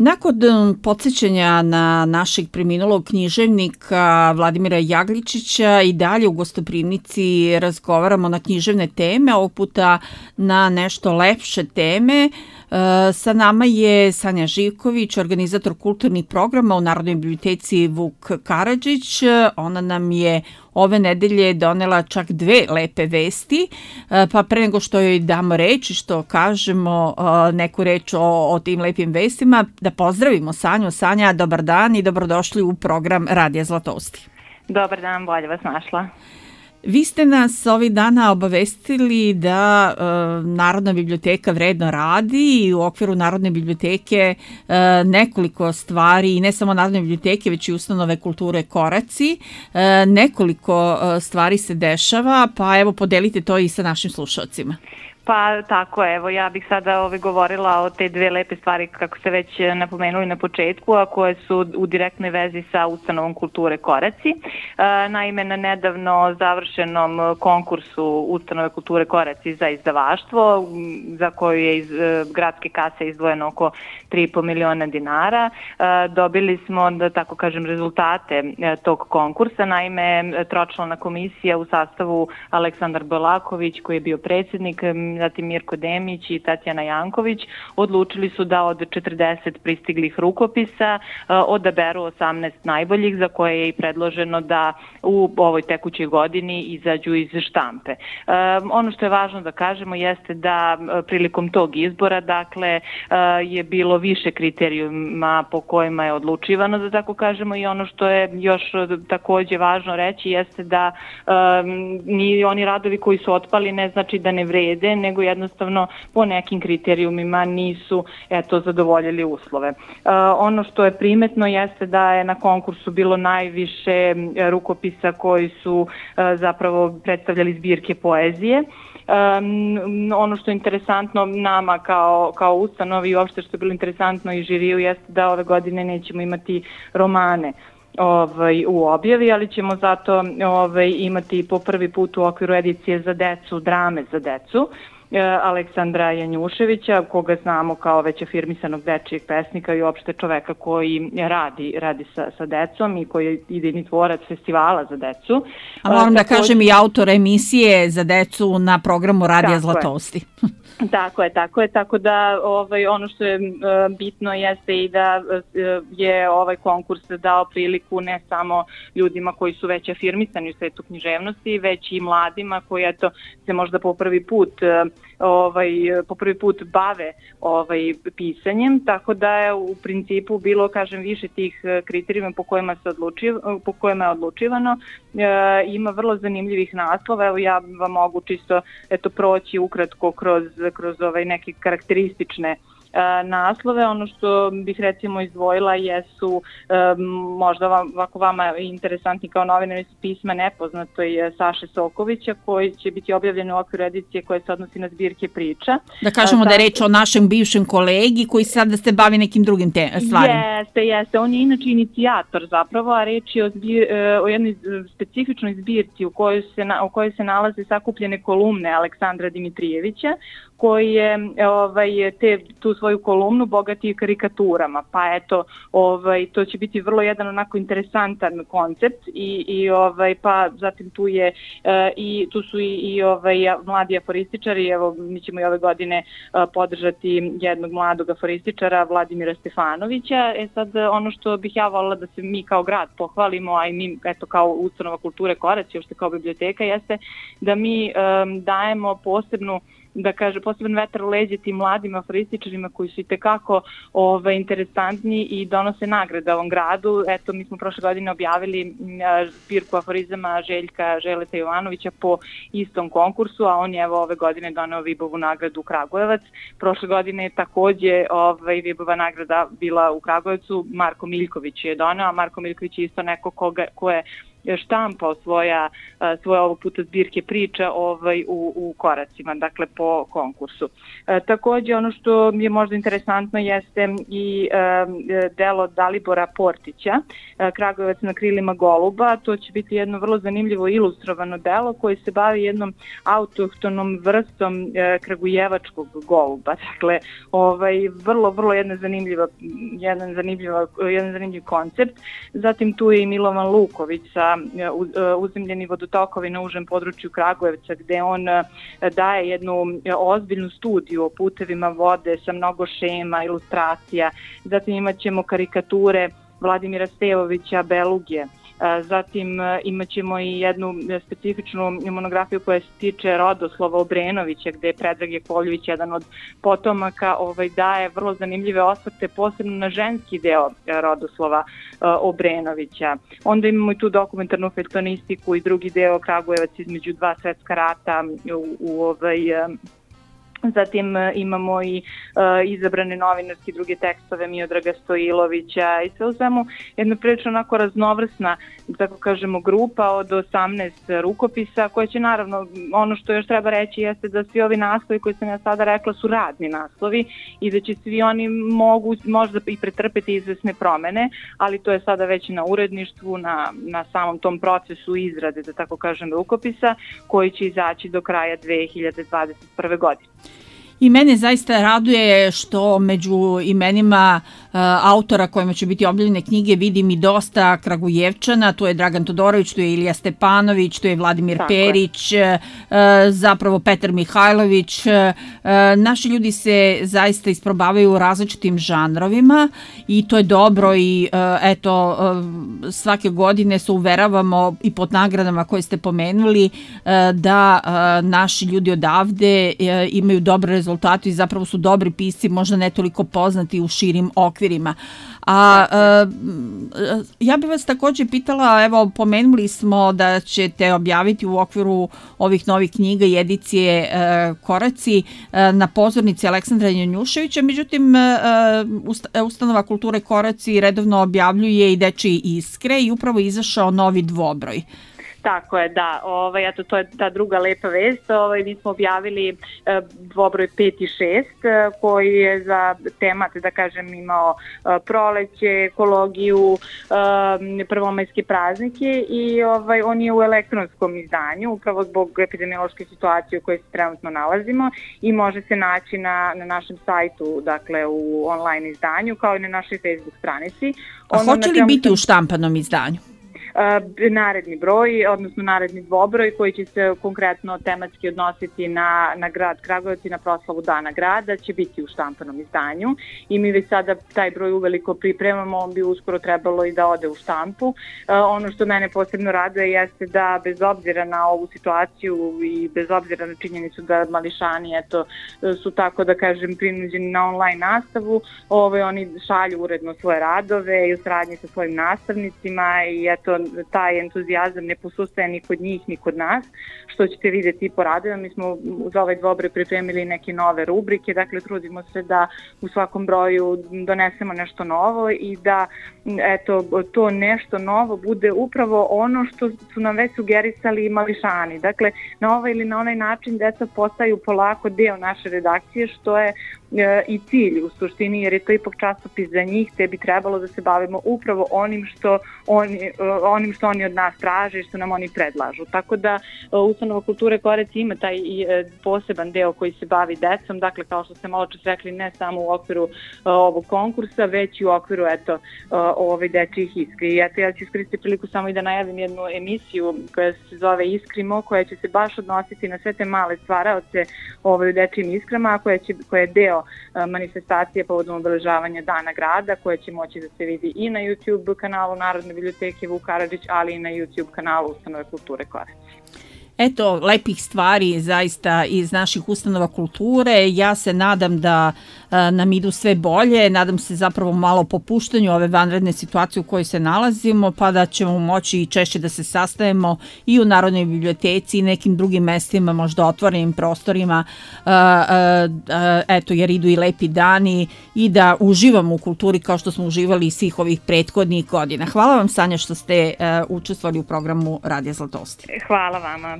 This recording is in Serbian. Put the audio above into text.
Nakon podsjećanja na našeg preminulog književnika Vladimira Jagličića i dalje u gostoprimnici razgovaramo na književne teme, ovog puta na nešto lepše teme. Sa nama je Sanja Živković, organizator kulturnih programa u Narodnoj biblioteci Vuk Karadžić. Ona nam je ove nedelje donela čak 2 lepe vesti, pa pre nego što joj damo reč i što kažemo neku reč o tim lepim vestima, da pozdravimo Sanju. Sanja, dobar dan i dobrodošli u program Radija Zlatousti. Dobar dan, bolje vas našla. Vi ste nas ovih dana obavestili da Narodna biblioteka vredno radi i u okviru Narodne biblioteke nekoliko stvari, i ne samo Narodne biblioteke, već i ustanove kulture Koraci. Nekoliko stvari se dešava, pa evo podelite to i sa našim slušalcima. Pa tako, evo, ja bih sada govorila o te 2 lepe stvari, kako ste već napomenuli na početku, a koje su u direktnoj vezi sa ustanovom kulture Koraci. Naime, na nedavno završenom konkursu ustanove kulture Koraci za izdavaštvo, za koju je iz gradske kase izdvojeno oko 3,5 miliona dinara, dobili smo, da tako kažem, rezultate tog konkursa. Naime, tročlana komisija u sastavu Aleksandar Belaković, koji je bio predsjednik, zatim Mirko Demić i Tatjana Janković, odlučili su da od 40 pristiglih rukopisa odaberu 18 najboljih, za koje je i predloženo da u ovoj tekućoj godini izađu iz štampe. Ono što je važno da kažemo jeste da prilikom tog izbora, dakle, je bilo više kriterijuma po kojima je odlučivano, da tako kažemo, i ono što je još takođe važno reći jeste da ni oni radovi koji su otpali ne znači da ne vrede, nego jednostavno po nekim kriterijumima nisu zadovoljili uslove. Ono što je primetno jeste da je na konkursu bilo najviše rukopisa koji su zapravo predstavljali zbirke poezije. Ono što je interesantno nama kao ustanovi i uopšte što je bilo interesantno i žiriju jeste da ove godine nećemo imati romane u objavi, ali ćemo zato imati po prvi put u okviru edicije za decu, drame za decu, Aleksandra Janjuševića, koga znamo kao već afirmisanog dečijeg pesnika i uopšte čoveka koji radi sa decom i koji je idejni tvorac festivala za decu. A moram da kažem i autor emisije za decu na programu Radija Zlatousti. Tako je, tako da ono što je bitno jeste i da je ovaj konkurs dao priliku ne samo ljudima koji su već afirmisani u svetu književnosti, već i mladima koji se možda po prvi put bave pisanjem, tako da je u principu bilo, kažem, više tih kriterijuma po kojima je odlučivano. Ima vrlo zanimljivih naslova. Evo, ja vam mogu čisto proći ukratko kroz neke karakteristične naslove. Ono što bih recimo izdvojila jesu možda vama interesantni kao novinari su pisma nepoznatoj Saše Sokovića, koji će biti objavljeni u okviru edicije koje se odnosi na zbirke priča. Da kažemo da je reč o našem bivšem kolegi koji sada se bavi nekim drugim stvarima. Jeste. On je inače inicijator zapravo, a reč je o jednoj specifičnoj zbirci u kojoj se nalaze sakupljene kolumne Aleksandra Dimitrijevića, koji je tu svoju kolumnu bogati karikaturama. Pa to će biti vrlo jedan onako interesantan koncept pa zatim tu su i mladi aforističari. Evo, mi ćemo i ove godine podržati jednog mladog aforističara, Vladimira Stefanovića. Sad, ono što bih ja voljela da se mi kao grad pohvalimo, a i mi kao ustanova kulture Koraci, uopšte kao biblioteka, jeste da mi dajemo poseban vetar u leđe tim mladim aforističarima koji su itekako interesantni i donose nagrade ovom gradu. Mi smo prošle godine objavili zbirku aforizama Željka Želeta Jovanovića po istom konkursu, a on je ove godine doneo Vibovu nagradu u Kragujevac. Prošle godine je takođe Vibova nagrada bila u Kragujevcu, Marko Miljković je doneo, a Marko Miljković je isto neko ko je štampao svoje ovog puta zbirke priča u koracima, dakle po konkursu. Takođe, ono što je možda interesantno jeste i delo Dalibora Portića, Kragujevac na krilima goluba. To će biti jedno vrlo zanimljivo ilustrovano delo koje se bavi jednom autohtonom vrstom kragujevačkog goluba. Dakle, vrlo jedan zanimljiv koncept. Zatim tu je i Milovan Luković sa uzemljeni vodotokovi na užem području Kragujevca, gde on daje jednu ozbiljnu studiju o putevima vode sa mnogo šema, ilustracija. Zatim imat ćemo karikature Vladimira Stevovića Belugije. Zatim imat ćemo i jednu specifičnu monografiju koja se tiče rodoslova Obrenovića, gde je Predrag Jakovljević, jedan od potomaka, daje vrlo zanimljive osvrte, posebno na ženski deo rodoslova Obrenovića. Onda imamo i tu dokumentarnu feljtonistiku i drugi deo Kragujevac između dva svetska rata Zatim imamo i izabrane novinarske druge tekstove Miodraga Stojilovića i sve u svemu jedna prilično onako raznovrsna, tako kažemo, grupa od 18 rukopisa koje će naravno, ono što još treba reći jeste da svi ovi naslovi koji sam ja sada rekla su radni naslovi i da će svi oni možda i pretrpeti izvesne promene, ali to je sada već na uredništvu, na samom tom procesu izrade, da tako kažem, rukopisa koji će izaći do kraja 2021. godine. I mene zaista raduje što među imenima autora kojima će biti objavljene knjige vidim i dosta Kragujevčana, tu je Dragan Todorović, tu je Ilija Stepanović, tu je Vladimir Perić, zapravo Petar Mihajlović. Naši ljudi se zaista isprobavaju u različitim žanrovima i to je dobro i eto, svake godine se uveravamo i pod nagradama koje ste pomenuli da naši ljudi odavde imaju dobre rezultate i zapravo su dobri pisci, možda ne toliko poznati u širim okvirima. Ja bih vas također pitala, evo, pomenuli smo da ćete objaviti u okviru ovih novih knjiga i edicije Koraci na pozornici Aleksandra Janjuševića, međutim, Ustanova kulture Koraci redovno objavljuje i Dečije iskre i upravo je izašao novi dvobroj. Tako je, da. Eto, to je ta druga lepa vest. Mi smo objavili dvobroj 5 i 6 koji je za temat, da kažem, imao proleće, ekologiju, prvomajske praznike i on je u elektronskom izdanju, upravo zbog epidemiološke situacije u kojoj se trenutno nalazimo i može se naći na našem sajtu, dakle u online izdanju, kao i na našoj Facebook stranici. A hoće li biti u štampanom izdanju? Naredni broj, odnosno naredni dvobroj koji će se konkretno tematski odnositi na grad Kragujevac i na proslavu Dana grada će biti u štampanom izdanju i mi već sada taj broj uveliko pripremamo, on bi uskoro trebalo i da ode u štampu. Ono što mene posebno raduje jeste da bez obzira na ovu situaciju i bez obzira na činjenicu da mališani su tako, da kažem, prinuđeni na online nastavu, oni šalju uredno svoje radove i u saradnji sa svojim nastavnicima i taj entuzijazam ne posustaje ni kod njih ni kod nas, što ćete vidjeti po radovima. Mi smo za ovaj dvobroj pripremili neke nove rubrike, dakle trudimo se da u svakom broju donesemo nešto novo i da to nešto novo bude upravo ono što su nam već sugerisali mališani. Dakle, na ovaj ili na onaj način deca postaju polako deo naše redakcije, što je i cilj u suštini, jer je to ipak časopis za njih, te bi trebalo da se bavimo upravo onim što oni od nas traže i što nam oni predlažu. Tako da Ustanova kulture Koraci ima taj poseban deo koji se bavi decom, dakle kao što ste malo čas rekli, ne samo u okviru ovog konkursa, već i u okviru Dečijih iskri. Ja ću iskoristiti priliku samo i da najavim jednu emisiju koja se zove Iskrimo, koja će se baš odnositi na sve te male stvaraoce u Dečijim iskrama, a koja je deo manifestacije povodom obeležavanja Dana grada, koja će moći da se vidi i na YouTube kanalu Narodne biblioteke Vuk Karadžić, ali i na YouTube kanalu Ustanove kulture Koraci. Eto, lepih stvari zaista iz naših ustanova kulture. Ja se nadam da nam idu sve bolje, nadam se zapravo malo popuštanju ove vanredne situacije u kojoj se nalazimo, pa da ćemo moći i češće da se sastajemo i u Narodnoj biblioteci i nekim drugim mestima, možda otvorenim prostorima, eto, jer idu i lepi dani i da uživamo u kulturi kao što smo uživali i svih ovih prethodnih godina. Hvala vam, Sanja, što ste učestvovali u programu Radija Zlatosti. Hvala vama.